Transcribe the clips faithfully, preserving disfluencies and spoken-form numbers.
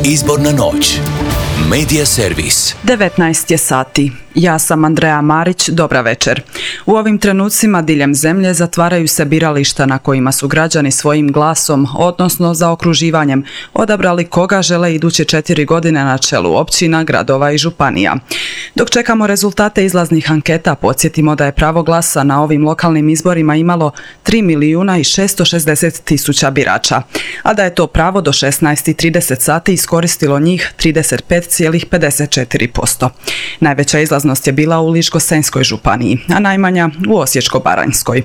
Izborna noć. Medija servis. devetnaest je sati. Ja sam Andreja Marić, dobra večer. U ovim trenucima diljem zemlje zatvaraju se birališta na kojima su građani svojim glasom, odnosno zaokruživanjem, odabrali koga žele iduće četiri godine na čelu općina, gradova i županija. Dok čekamo rezultate izlaznih anketa, podsjetimo da je pravo glasa na ovim lokalnim izborima imalo tri milijuna i šesto šezdeset tisuća birača, a da je to pravo do šesnaest i trideset sati iskoristilo njih trideset pet zarez pedeset četiri posto. Najveća izlaznost je bila u Ličko-senjskoj županiji, a najmanja u Osječko-baranjskoj.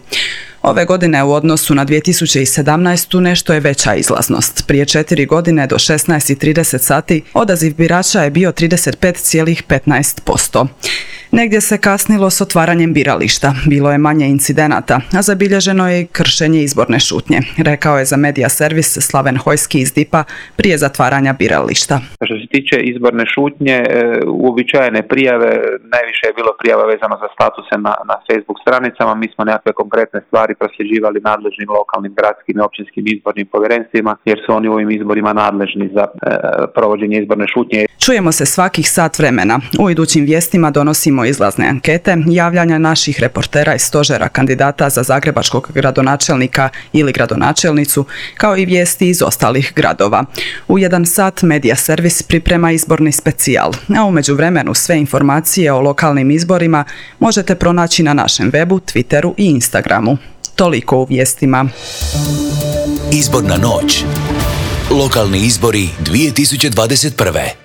Ove godine u odnosu na dvije tisuće sedamnaestu nešto je veća izlaznost. Prije četiri godine do šesnaest i trideset sati odaziv birača je bio trideset pet zarez petnaest posto. Negdje se kasnilo s otvaranjem birališta, bilo je manje incidenata, a zabilježeno je i kršenje izborne šutnje, rekao je za Medija servis Slaven Hojski iz D I P-a prije zatvaranja birališta. Što se tiče izborne šutnje, uobičajene prijave, najviše je bilo prijava vezano za statuse na, na Facebook stranicama. Mi smo nekakve konkretne stvari prosljeđivali nadležnim lokalnim, gradskim i općinskim izbornim povjerenstvima, jer su oni u ovim izborima nadležni za e, provođenje izborne šutnje. Čujemo se svakih sat vremena. U idućim vijestima donosimo izlazne ankete, javljanja naših reportera iz stožera kandidata za zagrebačkog gradonačelnika ili gradonačelnicu, kao i vijesti iz ostalih gradova. U jedan sat Medija servis priprema izborni specijal, a u međuvremenu sve informacije o lokalnim izborima možete pronaći na našem webu, Twitteru i Instagramu. Toliko u vijestima. Izborna noć. Lokalni izbori dvije tisuće dvadeset prve.